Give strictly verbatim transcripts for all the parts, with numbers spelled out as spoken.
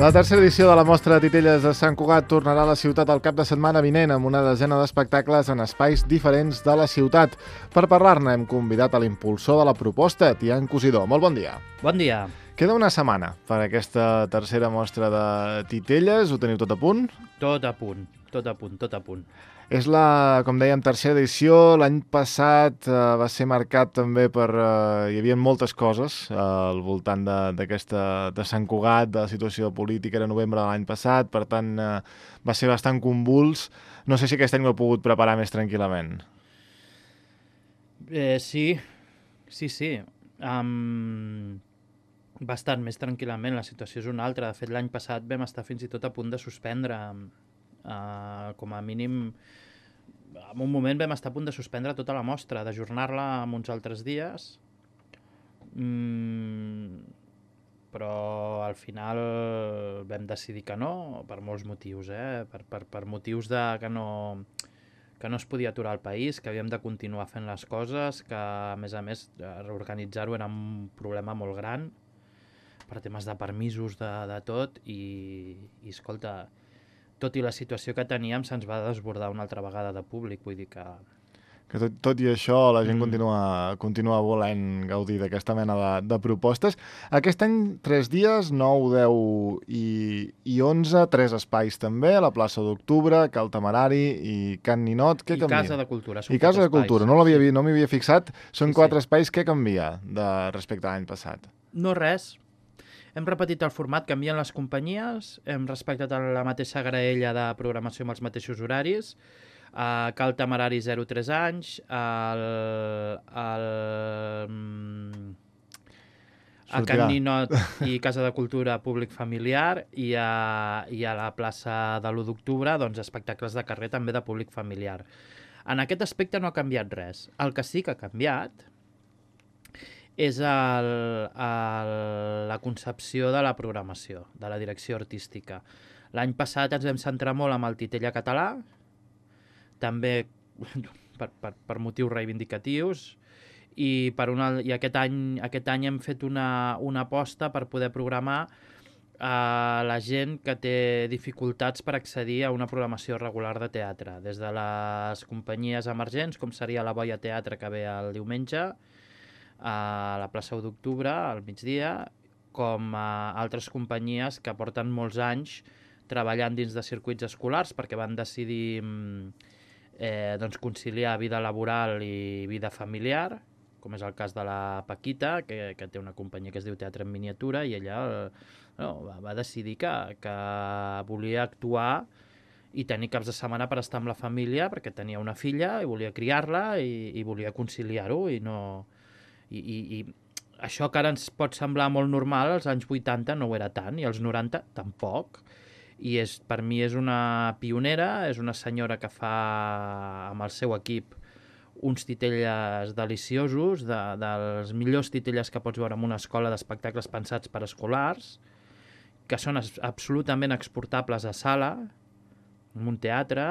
La tercera edició de la Mostra de Titelles de Sant Cugat tornarà a la ciutat el cap de setmana vinent amb una desena d'espectacles en espais diferents de la ciutat. Per parlar-ne hem convidat a l'impulsor de la proposta, Tian Cosidó. Molt bon dia. Bon dia. Queda una setmana per aquesta tercera mostra de Titelles. Ho teniu tot a punt? Tot a punt, tot a punt, tot a punt. És la, com dèiem, tercera edició. L'any passat eh, va ser marcat també per... Eh, hi havia moltes coses eh, al voltant d'aquesta de, de Sant Cugat, de la situació política de novembre de l'any passat, per tant eh, va ser bastant convuls. No sé si aquest any ho he pogut preparar més tranquil·lament. Eh, sí, sí, sí. Um, bastant més tranquil·lament, la situació és una altra. De fet, l'any passat vam estar fins i tot a punt de suspendre... Uh, com a mínim, en un moment vam estar a punt de suspendre tota la mostra, d'ajornar-la amb uns altres dies, mm, però al final vam decidir que no, per molts motius, eh? per, per, per motius de que no, que no es podia aturar el país, que havíem de continuar fent les coses, que a més a més reorganitzar-ho era un problema molt gran, per temes de permisos, de, de tot, i, i escolta... tot i la situació que teníem, se'ns va desbordar una altra vegada de públic, vull dir que... Que tot, tot i això la gent mm. continua, continua volent gaudir d'aquesta mena de, de propostes. Aquest any, tres dies, nou, deu i, i onze, tres espais també, a la plaça d'Octubre, Cal Temerari i Can Ninot. Què I canvia? Casa de Cultura. I Casa de Cultura, no l'havia no m'hi havia fixat. Són sí, quatre sí. espais. Què canvia de, respecte a l'any passat? No res. Hem repetit el format, canvien les companyies, hem respectat la mateixa graella de programació amb els mateixos horaris, uh, Cal Temerari zero a tres anys, el, el, a Can Ninot i Casa de Cultura públic familiar, i a, i a la plaça de l'u d'octubre doncs, espectacles de carrer també de públic familiar. En aquest aspecte no ha canviat res. El que sí que ha canviat és el, el, la concepció de la programació, de la direcció artística. L'any passat ens vam centrar molt amb el Titella català, també per, per, per motius reivindicatius, i, per una, i aquest, any, aquest any hem fet una, una aposta per poder programar a la gent que té dificultats per accedir a una programació regular de teatre, des de les companyies emergents, com seria la Boia Teatre, que ve el diumenge, a la plaça u d'octubre, al migdia, com a altres companyies que porten molts anys treballant dins de circuits escolars perquè van decidir eh, doncs conciliar vida laboral i vida familiar, com és el cas de la Paquita, que, que té una companyia que es diu Teatre en Miniatura, i ella no, va, va decidir que, que volia actuar i tenir caps de setmana per estar amb la família perquè tenia una filla i volia criar-la i, i volia conciliar-ho i no... I, i, i això que ara ens pot semblar molt normal, als anys vuitanta no ho era tant, i als noranta tampoc, i és, per mi és una pionera, és una senyora que fa amb el seu equip uns titelles deliciosos, de, dels millors titelles que pots veure en una escola d'espectacles pensats per escolars, que són absolutament exportables a sala, en un teatre,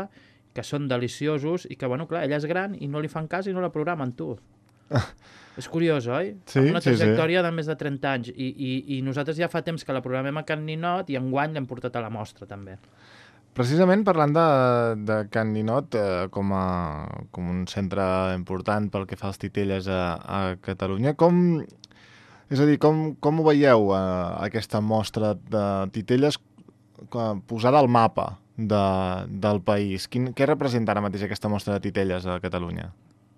que són deliciosos, i que, bueno, clar, ella és gran i no li fan cas i no la programen, tu. És curiós, oi? Sí, una trajectòria sí, sí. de més de trenta anys i, i, i nosaltres ja fa temps que la programem a Can Ninot i enguany l'hem portat a la mostra també. Precisament parlant de, de Can Ninot eh, com, a, com un centre important pel que fa als titelles a, a Catalunya, com, és a dir, com, com ho veieu eh, aquesta mostra de titelles posada al mapa de, del país? Quin, què representa ara mateix aquesta mostra de titelles a Catalunya?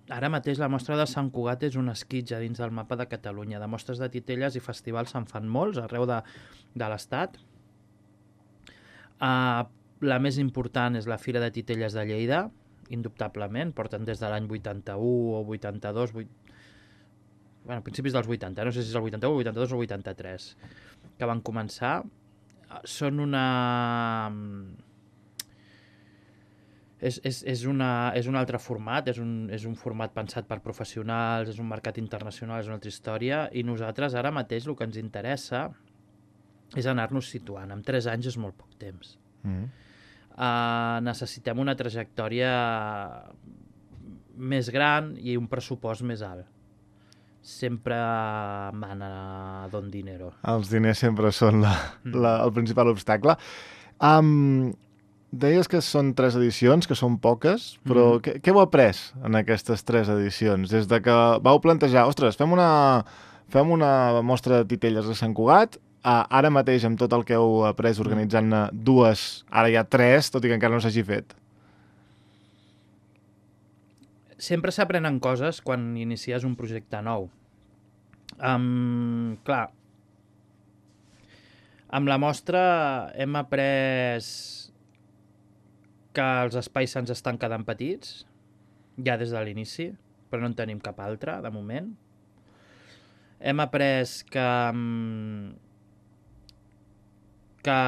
Ara mateix la mostra de Sant Cugat és un esquitx dins del mapa de Catalunya. De mostres de titelles i festivals se'n fan molts arreu de, de l'Estat. Uh, la més important és la Fira de Titelles de Lleida, indubtablement. Porten des de l'any vuitanta-u o vuitanta-dos, vuit... bueno, principis dels vuitanta, no sé si és el vuitanta-u, vuitanta-dos o vuitanta-tres, que van començar. Són una... És, és, és, una, és un altre format, és un, és un format pensat per professionals, és un mercat internacional, és una altra història, i nosaltres ara mateix el que ens interessa és anar-nos situant. En tres anys és molt poc temps. Mm. Uh, necessitem una trajectòria més gran i un pressupost més alt. sempre mana don dinero. Els diners sempre són la, la, el principal obstacle. Um, deies que són tres edicions, que són poques, però mm. què, què heu après en aquestes tres edicions? Des de que vau plantejar, ostres, fem una, fem una mostra de titelles a Sant Cugat, uh, ara mateix amb tot el que heu après organitzant-ne dues, ara hi ha tres, tot i que encara no s'hagi fet. Sempre s'aprenen coses quan inicies un projecte nou. Um, clar, amb la mostra hem après que els espais se'ns estan quedant petits, ja des de l'inici, però no en tenim cap altre, de moment. Hem après que, que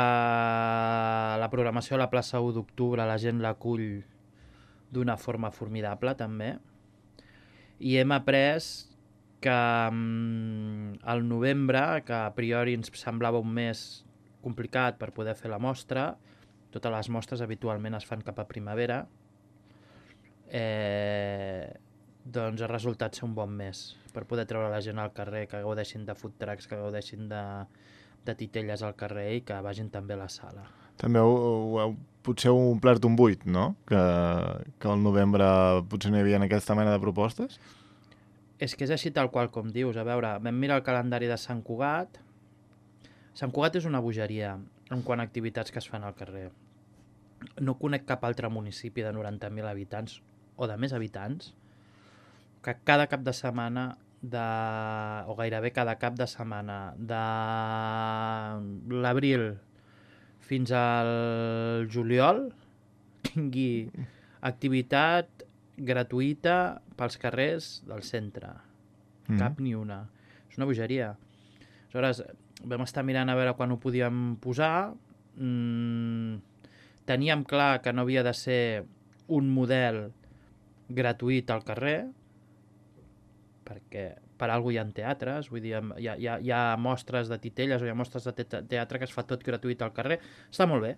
la programació a la plaça u d'octubre la gent l'acull d'una forma formidable, també. I hem après que al novembre, que a priori ens semblava un mes complicat per poder fer la mostra, totes les mostres habitualment es fan cap a primavera, eh, doncs ha resultat ser un bon mes per poder treure la gent al carrer, que gaudeixin de food trucks, que gaudeixin de, de titelles al carrer i que vagin també a la sala. També heu, heu potser heu omplert un buit, no? Que, que al novembre potser no hi havia aquesta mena de propostes? És que és així tal qual com dius. A veure, vam mirar el calendari de Sant Cugat. Sant Cugat és una bogeria en quant a activitats que es fan al carrer. No conec cap altre municipi de noranta mil habitants o de més habitants que cada cap de setmana de, o gairebé cada cap de setmana de l'abril fins al juliol tingui activitat gratuïta pels carrers del centre. Mm. Cap ni una. És una bogeria. Aleshores, vam estar mirant a veure quan ho podíem posar. Mm, teníem clar que no havia de ser un model gratuït al carrer, perquè per alguna hi ha teatres, vull dir, hi ha, hi ha, hi ha mostres de titelles o hi ha mostres de te teatre que es fa tot gratuït al carrer. Està molt bé.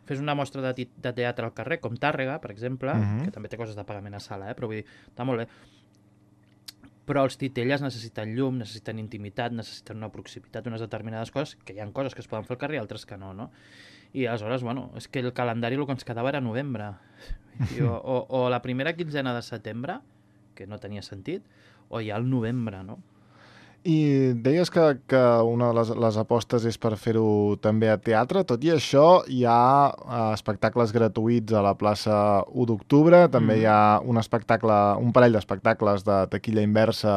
Fes una mostra de, de teatre al carrer, com Tàrrega, per exemple, uh-huh. que també té coses de pagament a sala, eh? Però vull dir, està molt bé. Però els titelles necessiten llum, necessiten intimitat, necessiten una proximitat, unes determinades coses, que hi ha coses que es poden fer al carrer i altres que no, no? I aleshores, bueno, és que el calendari el que ens quedava era novembre. I, o, o, o la primera quinzena de setembre, que no tenia sentit, o ja el novembre, no? I deies que, que una de les, les apostes és per fer-ho també a teatre. Tot i això, hi ha uh, espectacles gratuïts a la plaça u d'octubre. També mm. hi ha un espectacle, un parell d'espectacles de taquilla inversa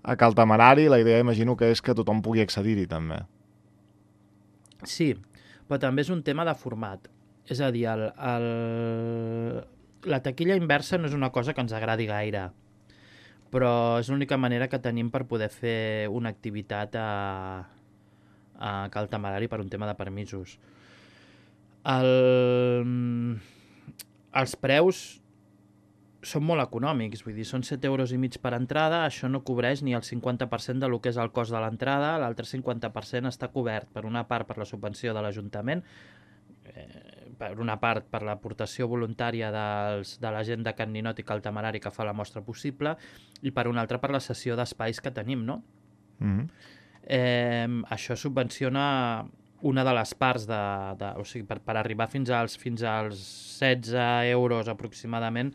a Cal Temerari. La idea, imagino, que és que tothom pugui accedir-hi, també. Sí, però també és un tema de format. És a dir, el, el... la taquilla inversa no és una cosa que ens agradi gaire, però és l'única manera que tenim per poder fer una activitat a, a Cal Temerari per un tema de permisos. El, els preus són molt econòmics, vull dir, són set euros i mig per entrada, això no cobreix ni el cinquanta per cent de lo que és el cost de l'entrada, l'altre cinquanta per cent està cobert per una part per la subvenció de l'Ajuntament, eh, per una part per l'aportació voluntària dels, de la gent de Can Ninot i Cal Temerari que fa la mostra possible, i per una altra per la cessió d'espais que tenim, no? Mm-hmm. eh, això subvenciona una de les parts de, de, o sigui, per, per arribar fins als, fins als setze euros aproximadament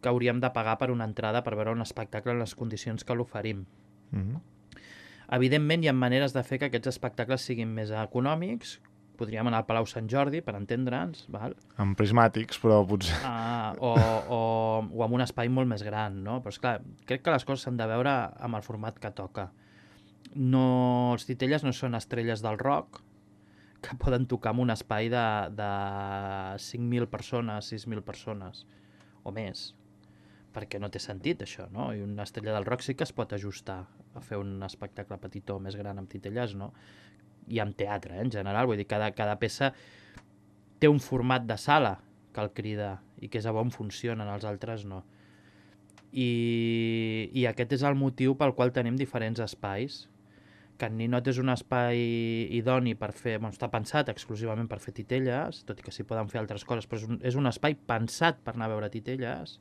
que hauríem de pagar per una entrada per veure un espectacle en les condicions que l'oferim. Mm-hmm. Evidentment hi ha maneres de fer que aquests espectacles siguin més econòmics. Podríem anar al Palau Sant Jordi, per entendre'ns, val? Amb prismàtics, però potser... Ah, o, o, o amb un espai molt més gran, no? Però, esclar, crec que les coses s'han de veure amb el format que toca. No, els titelles no són estrelles del rock que poden tocar en un espai de, de cinc mil persones, sis mil persones, o més. Perquè no té sentit, això, no? I una estrella del rock sí que es pot ajustar a fer un espectacle petitó més gran amb titelles, no? I amb teatre, eh, en general, vull dir, cada, cada peça té un format de sala que el crida i que és a on funcionen, els altres no. I, i aquest és el motiu pel qual tenim diferents espais. Can Ninot és un espai idoni per fer, bueno, està pensat exclusivament per fer titelles, tot i que s'hi poden fer altres coses, però és un, és un espai pensat per anar a veure titelles.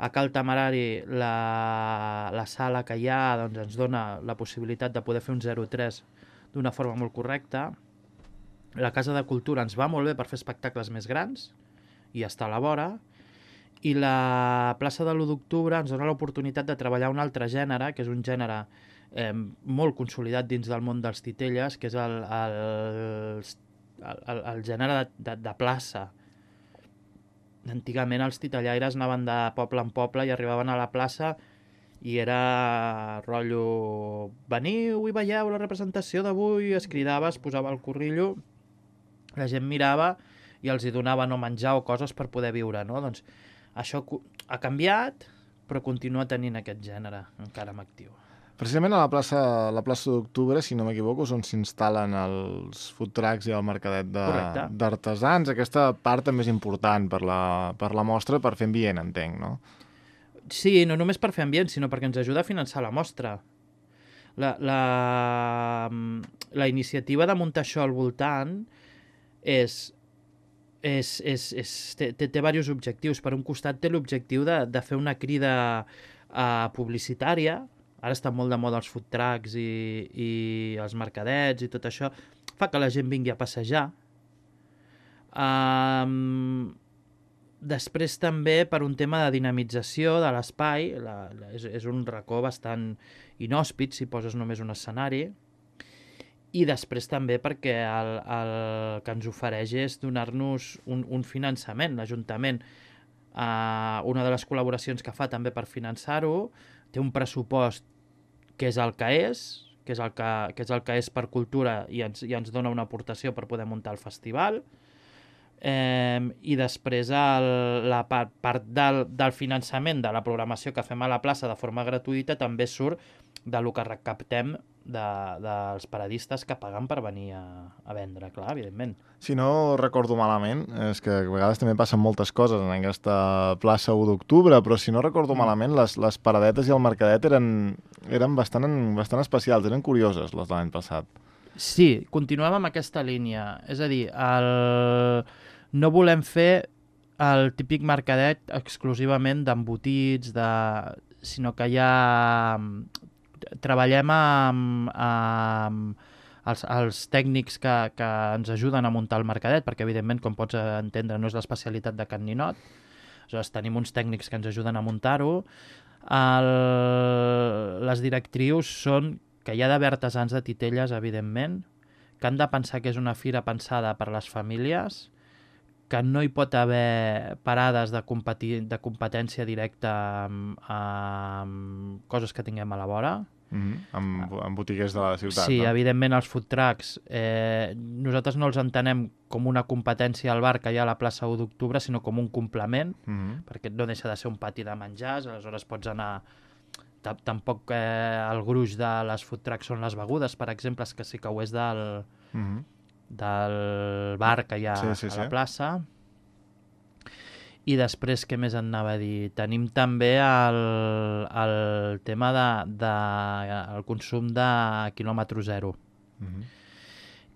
A Cal Temerari la, la sala que hi ha doncs, ens dona la possibilitat de poder fer un zero tres d'una forma molt correcta. La Casa de Cultura ens va molt bé per fer espectacles més grans i està a la vora. I la plaça de l'u d'octubre ens dona l'oportunitat de treballar un altre gènere, que és un gènere eh, molt consolidat dins del món dels titelles, que és el, el, el, el gènere de, de, de plaça. Antigament els titellaires anaven de poble en poble i arribaven a la plaça i era rotllo veniu i veieu la representació d'avui, es cridava, es posava el corrillo, la gent mirava i els hi donava no menjar o coses per poder viure, no? Doncs això ha canviat, però continua tenint aquest gènere encara en actiu. Precisament a la plaça, la plaça d'Octubre, si no m'equivoco, és on s'instal·len els food trucks i el mercadet d'artesans. Aquesta part també és important per la, per la mostra, per fer ambient, entenc, no? Sí, no només per fer ambient, sinó perquè ens ajuda a finançar la mostra. La, la, la iniciativa de muntar això al voltant és... És, és, és, té, té, té diversos objectius. Per un costat té l'objectiu de, de fer una crida uh, publicitària. Ara estan molt de moda els food trucks i, i els mercadets i tot això. Fa que la gent vingui a passejar. Um, després també per un tema de dinamització de l'espai. La, la, és, és un racó bastant inhòspit si poses només un escenari. I després també perquè el, el que ens ofereix és donar-nos un, un finançament. L'Ajuntament, eh, una de les col·laboracions que fa també per finançar-ho, té un pressupost que és el que és, que és el que, que, és, el que és per cultura i ens, i ens dona una aportació per poder muntar el festival. Eh, I després el, la part, part del, del finançament de la programació que fem a la plaça de forma gratuïta també surt de lo que recaptem de, dels paradistes que paguen per venir a, a vendre, clar, evidentment. Si no recordo malament, és que a vegades també passen moltes coses en aquesta plaça u d'octubre, però si no recordo mm. malament, les, les paradetes i el mercadet eren, eren bastant, bastant especials, eren curioses les de l'any passat. Sí, continuem amb aquesta línia. És a dir, el... no volem fer el típic mercadet exclusivament d'embotits, de... sinó que ja treballem amb, amb els, els tècnics que, que ens ajuden a muntar el mercadet, perquè evidentment, com pots entendre, no és l'especialitat de Can Ninot. Aleshores, tenim uns tècnics que ens ajuden a muntar-ho. El... Les directrius són que hi ha d'haver artesans de titelles, evidentment, que han de pensar que és una fira pensada per les famílies, que no hi pot haver parades de, competi de competència directa amb, amb coses que tinguem a la vora. Mm-hmm. amb, amb botiguers de la ciutat. Sí, no? Evidentment els food trucks, eh, nosaltres no els entenem com una competència al bar que hi ha a la plaça u d'octubre, sinó com un complement, mm-hmm. perquè no deixa de ser un pati de menjars, aleshores pots anar... Tampoc eh, el gruix de les food trucks són les begudes, per exemple, que sí que ho és del, mm-hmm. del bar que hi ha sí, sí, a la sí. plaça. I després, què més anava a dir? Tenim també el, el tema de, de el consum de quilòmetre zero. Mm-hmm.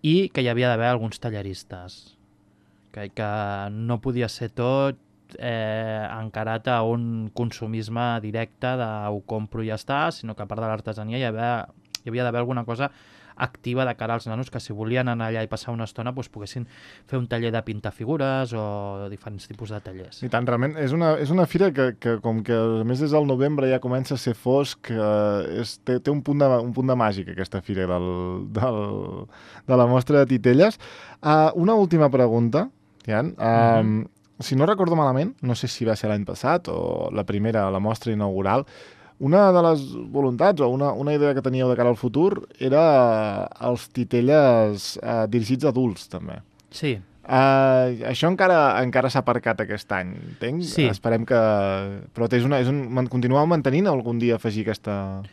I que hi havia d'haver alguns talleristes. Que, que no podia ser tot eh, encarat a un consumisme directe de ho compro i ja està, sinó que a part de l'artesania hi havia, hi havia d'haver alguna cosa activa de cara als nanos que si volien anar allà i passar una estona doncs poguessin fer un taller de pintar figures o diferents tipus de tallers. I tant, realment és una, és una fira que, que com que a més des del novembre ja comença a ser fosc, eh, és, té, té un punt de, un punt de màgic aquesta fira del, del, de la mostra de titelles. Uh, una última pregunta, Jan. Uh, mm-hmm. Si no recordo malament, no sé si va ser l'any passat o la primera, la mostra inaugural, una de les voluntats o una, una idea que teníeu de cara al futur era els titelles eh, dirigits a adults, també. Sí. Uh, això encara encara s'ha aparcat aquest any, entenc? Sí. Esperem que... Però és una, és un... continueu mantenint algun dia afegir aquesta...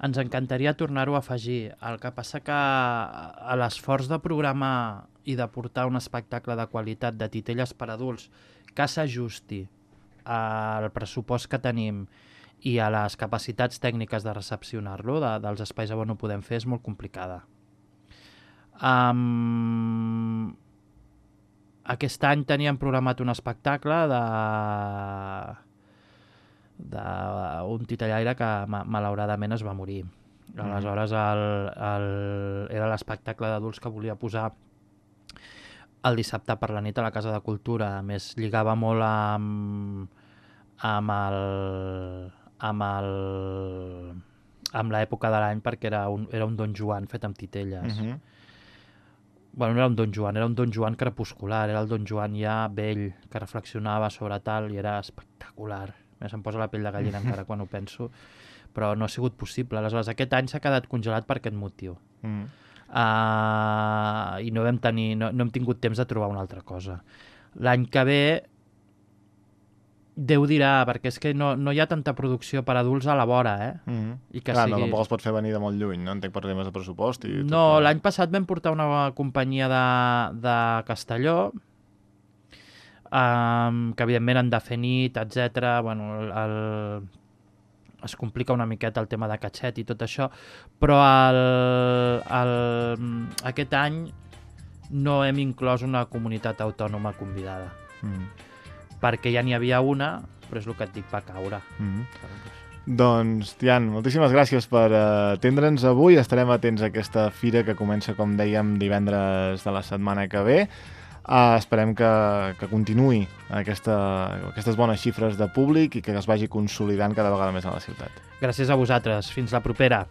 Ens encantaria tornar-ho a afegir. El que passa que a l'esforç de programar i de portar un espectacle de qualitat de titelles per adults que s'ajusti al pressupost que tenim i a les capacitats tècniques de recepcionar-lo, de, dels espais on ho podem fer, és molt complicada. Um, aquest any teníem programat un espectacle de, d'un titellaire que ma malauradament es va morir. Aleshores el, el, era l'espectacle d'adults que volia posar el dissabte per la nit a la Casa de Cultura. A més, lligava molt amb, amb el... amb el... amb l'època de l'any, perquè era un, era un Don Joan fet amb titelles. Uh -huh. Bueno, no era un Don Joan, era un Don Joan crepuscular, era el Don Joan ja vell, que reflexionava sobre tal, i era espectacular. Se'm posa la pell de gallina encara quan ho penso, però no ha sigut possible. Aleshores, aquest any s'ha quedat congelat per aquest motiu. Mm. Uh, I no vam tenir, no, no hem tingut temps de trobar una altra cosa. L'any que ve, Déu dirà, perquè és que no, no hi ha tanta producció per adults a la vora, eh? Mm. I que Clar, sigui... no, tampoc els pots fer venir de molt lluny, no? Entenc per temes de pressupost. I no, tot... l'any passat vam portar una companyia de, de Castelló, Um, que evidentment han de fer nit, etcètera. Bueno, el, el... es complica una miqueta el tema de catxet i tot això, però el, el... aquest any no hem inclòs una comunitat autònoma convidada. Mm. Perquè ja n'hi havia una, però és el que et dic, va caure. Mm. Doncs, Tian, moltíssimes gràcies per atendre'ns avui. Estarem atents a aquesta fira que comença, com dèiem, divendres de la setmana que ve. Uh, esperem que, que continuï aquesta, aquestes bones xifres de públic i que es vagi consolidant cada vegada més a la ciutat. Gràcies a vosaltres. Fins la propera.